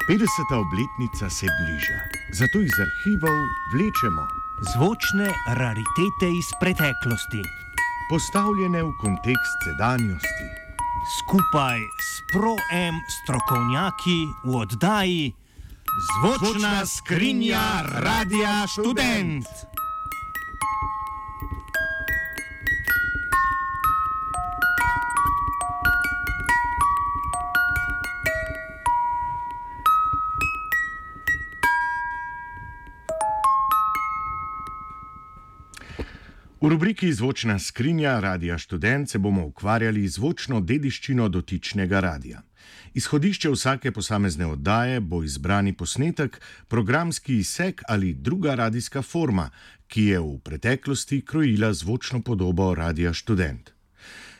Petdeseta obletnica se bliža, zato iz arhivov vlečemo zvočne raritete iz preteklosti, postavljene v kontekst sedanjosti. skupaj s Pro-M strokovnjaki v oddaji Zvočna skrinja Radia Študent. V rubriki Zvočna skrinja Radia Študent se bomo ukvarjali z zvočno dediščino dotičnega radia. Izhodišče vsake posamezne oddaje bo izbrani posnetek, programski izsek ali druga radijska forma, ki je v preteklosti krojila zvočno podobo Radia Študent.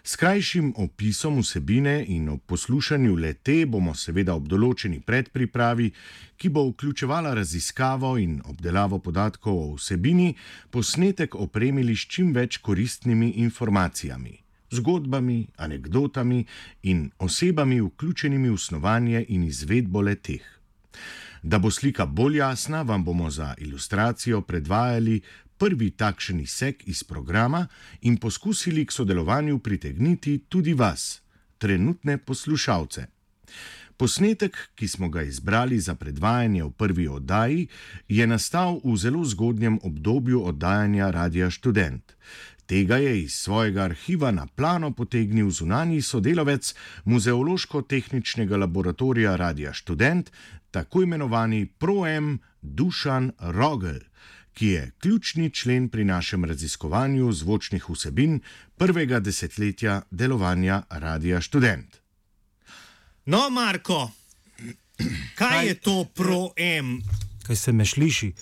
S krajšim opisom vsebine in ob poslušanju le-te bomo seveda ob določeni predpripravi, ki bo vključevala raziskavo in obdelavo podatkov o vsebini, posnetek opremili s čim več koristnimi informacijami, zgodbami, anekdotami in osebami vključenimi v snovanje in izvedbo le-teh. Da bo slika bolj jasna, vam bomo za ilustracijo predvajali prvi takšen izsek iz programa in poskusili k sodelovanju pritegniti tudi vas, trenutne poslušalce. Posnetek, ki smo ga izbrali za predvajanje v prvi oddaji, je nastal v zelo zgodnjem obdobju oddajanja Radia Študent. Tega je iz svojega arhiva na plano potegnil zunanji sodelavec Muzeološko-tehničnega laboratorija Radia Študent, tako imenovani Pro-M Dušan Rogl, ki je ključni člen pri našem raziskovanju zvočnih vsebin prvega desetletja delovanja Radia Študent. No, Marko, kaj je to Pro-M? Kaj se me sliši?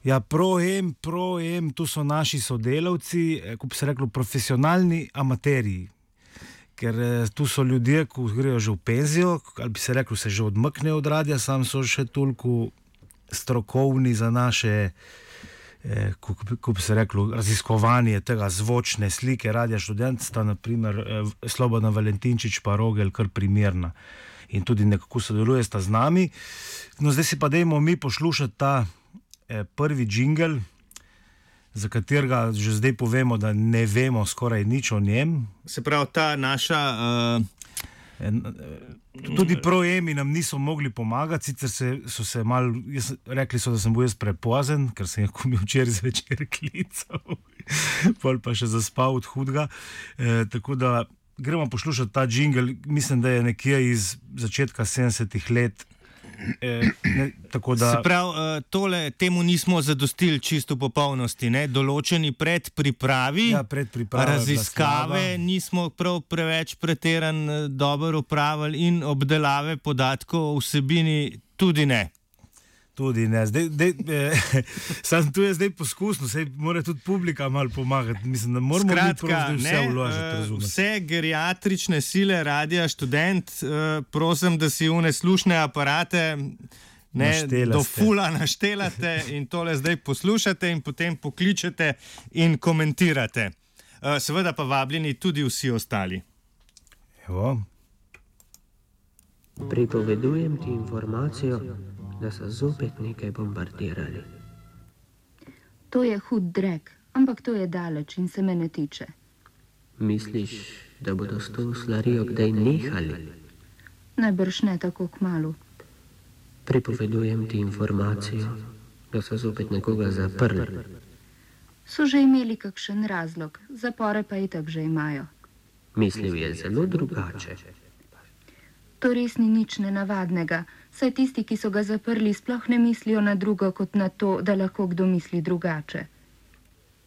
Ja, Pro-M, tu so naši sodelavci, kot bi se reklo, profesionalni amateriji. Ker tu so ljudje, ki grejo že v penzijo, ali bi se reklo, se že odmaknejo od radia, sam so še toliko strokovni za naše, kako bi se reklo, raziskovanje tega zvočne slike Radia Študent, sta naprimer Slobodan Valentinčič pa Rogel kar primerna. In tudi nekako sodeluje sta z nami. No, zdaj si pa dajmo mi poslušati ta prvi džingel, za katerega že zdaj povemo, da ne vemo skoraj nič o njem. Se pravi, ta naša... Tudi Pro-M nam niso mogli pomagati, sicer so se malo, rekli so, da sem bil jaz prepozen, ker sem jih včeraj zvečer klical, pol pa še zaspal od hudega. Tako da gremo poslušati ta džingel, mislim, da je nekje iz začetka 70-ih let. Tako da... Se pravi, temu nismo zadostili čisto v popolnosti, ne? Določeni predpripravi, raziskave nismo prav preveč pretiran dobro opravili in obdelave podatkov o vsebini tudi ne. Tudi ne. Sam tu je zdaj poskusno, saj mora tudi publika malo pomagati. Mislim, da moramo vse vložiti, razumeti. Vse geriatrične sile Radia Študent, prosim, da si une slušne aparate do fula naštelate in tole zdaj poslušate in potem pokličete in komentirate. Seveda pa vabljeni tudi vsi ostali. Evo. Pripovedujem ti informacijo, da so zopet nekaj bombardirali. To je hud drek, ampak to je daleč in se me ne tiče. Misliš, da bodo s to slarijo kdaj nehali? Najbrž ne tako kmalu. Pripovedujem ti informacijo, da so zopet nekoga zaprli. So že imeli kakšen razlog, zapore pa itak že imajo. Mislil je zelo drugače. To res ni nič nenavadnega, saj tisti, ki so ga zaprli, sploh ne mislijo na drugo kot na to, da lahko kdo misli drugače.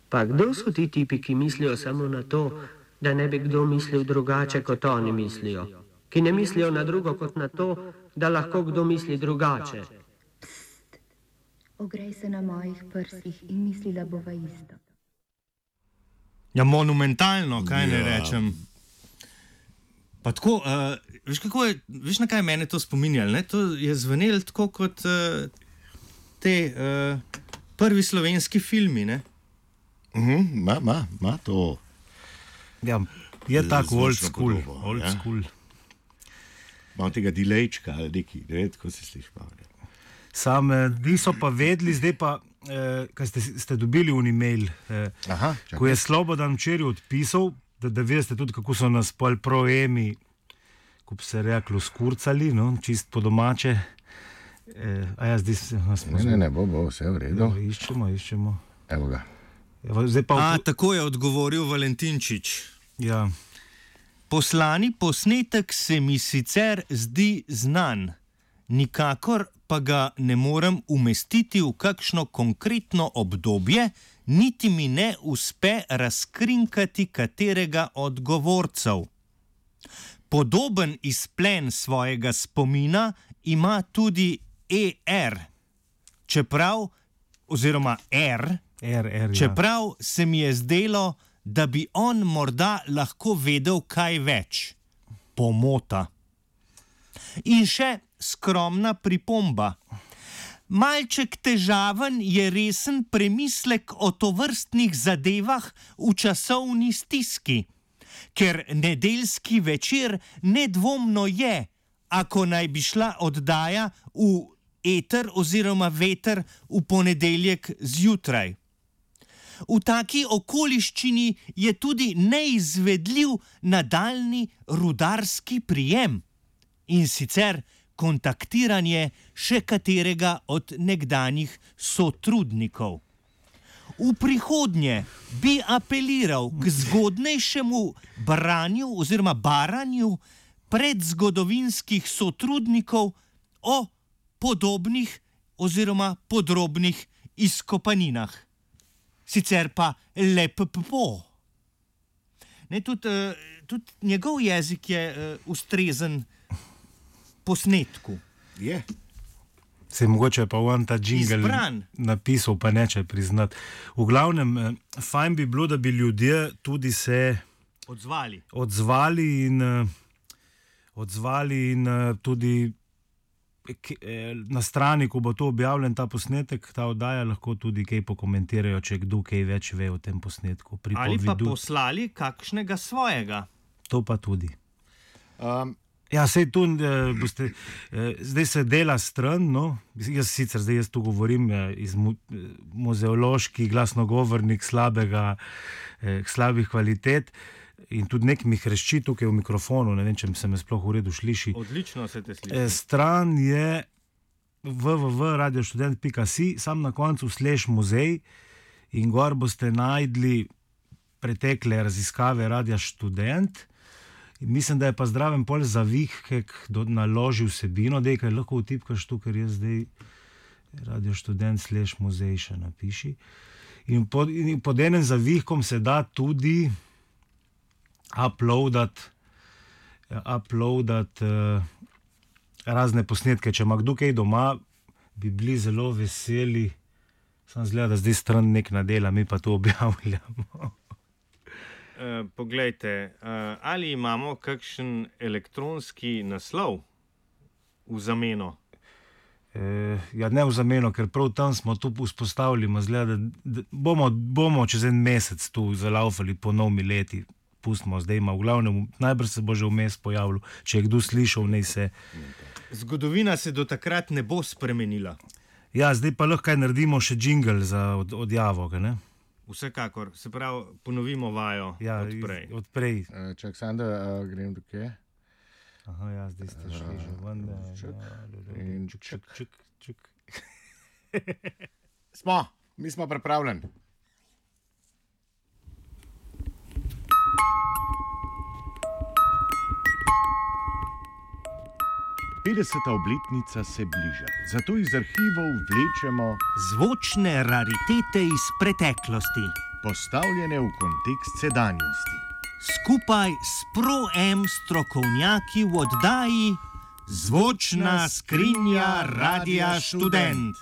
Pa kdo so ti tipi, ki mislijo samo na to, da ne bi kdo mislil drugače, kot oni mislijo? Ki ne mislijo na drugo kot na to, da lahko kdo misli drugače? Pst, ogrej se na mojih prsih in mislila bova isto. Ja, monumentalno, kaj ne rečem. Pa tako, veš na kaj mene to spominjalo, ne? To je zvenelo tako kot te prvi slovenski filmi, ne? Ma to. Ja, Je tako old zvočno school. podobo, Old ja? school. Malo tega delejčka ali neki, ne vem, kako se sliši. Sam niso pa vedeli, zdaj pa, kaj ste dobili v e-mail, Aha, ko je Slobodan včeraj odpisal, da veste tudi, kako so nas pol proemi, ko bi se reklo, skurcali, no, čist po domače. A ja, zdaj smo... Ne, bo, vse v redu. Iščemo. Evo ga. Zdaj pa... Tako je odgovoril Valentinčič. Ja. Poslani posnetek se mi sicer zdi znan, nikakor pa ga ne morem umestiti v kakšno konkretno obdobje, niti mi ne uspe razkrinkati katerega od govorcev. Podoben izplen svojega spomina ima tudi ER, čeprav, oziroma R, čeprav se mi je zdelo, da bi on morda lahko vedel kaj več. Pomota. In še skromna pripomba. Malček težaven je resen premislek o tovrstnih zadevah v časovni stiski, ker nedeljski večer nedvomno je, ako naj bi šla oddaja v eter oziroma veter v ponedeljek zjutraj. V taki okoliščini je tudi neizvedljiv nadaljni rudarski prijem in sicer kontaktiranje še katerega od nekdanjih sotrudnikov. V prihodnje bi apeliral k zgodnejšemu branju oziroma baranju predzgodovinskih sotrudnikov o podobnih oziroma podrobnih izkopaninah. Sicer pa lepo. Tudi njegov jezik je ustrezen posnetku. Je. Se mogoče pa on ta džingel napisal, pa neče priznati. V glavnem, fajn bi bilo, da bi ljudje tudi se odzvali in tudi na strani, ko bo to objavljen, ta posnetek, ta oddaja, lahko tudi kaj pokomentirajo, če kdo kaj več ve o tem posnetku. Ali pa poslali kakšnega svojega. To pa tudi. Ja, sej tu boste, zdaj se dela stran, no, jaz tu govorim iz muzeološki glasnogovornik slabih kvalitet in tudi nek mi hrešči tukaj v mikrofonu, ne vem, če se me sploh v redu sliši. Odlično se te sliši. Stran je www.radiostudent.si, sam na koncu /muzej in gor boste najdli pretekle raziskave Radia Študent. Mislim, da je pa zdraven pol zavih, kak naloži vsebino, dej, kaj lahko vtipkaš tu, ker jaz zdaj Radio Študent /muzej še napiši. In pod enem zavihkom se da tudi uploadati razne posnetke. Če ima kdo kaj doma, bi bili zelo veseli. Sam zgleda, da zdaj stran nek nadela, mi pa to objavljamo. Poglejte, ali imamo kakšen elektronski naslov v zameno? Ja, ne v zameno, ker prav tam smo tu vzpostavili, zgleda, da bomo čez en mesec tu zalaufali po novimi leti. Pustimo zdaj, v glavnem, najbrž se bo že vmes pojavil, če je kdo slišal, naj se... Zgodovina se do takrat ne bo spremenila. Ja, zdaj pa lahko naredimo še džingl za odjavo, ne? Vsekakor, se pravi, ponovimo vajo odprej. Čak, Sanda, grem do kje? Aha, ja, zdaj ste šli že ven. Čuk. Mi smo pripravljeni. Petdeseta obletnica se bliža, zato iz arhivov vlečemo zvočne raritete iz preteklosti, postavljene v kontekst sedanjosti. Skupaj s Pro-M strokovnjaki v oddaji Zvočna skrinja Radia Študent.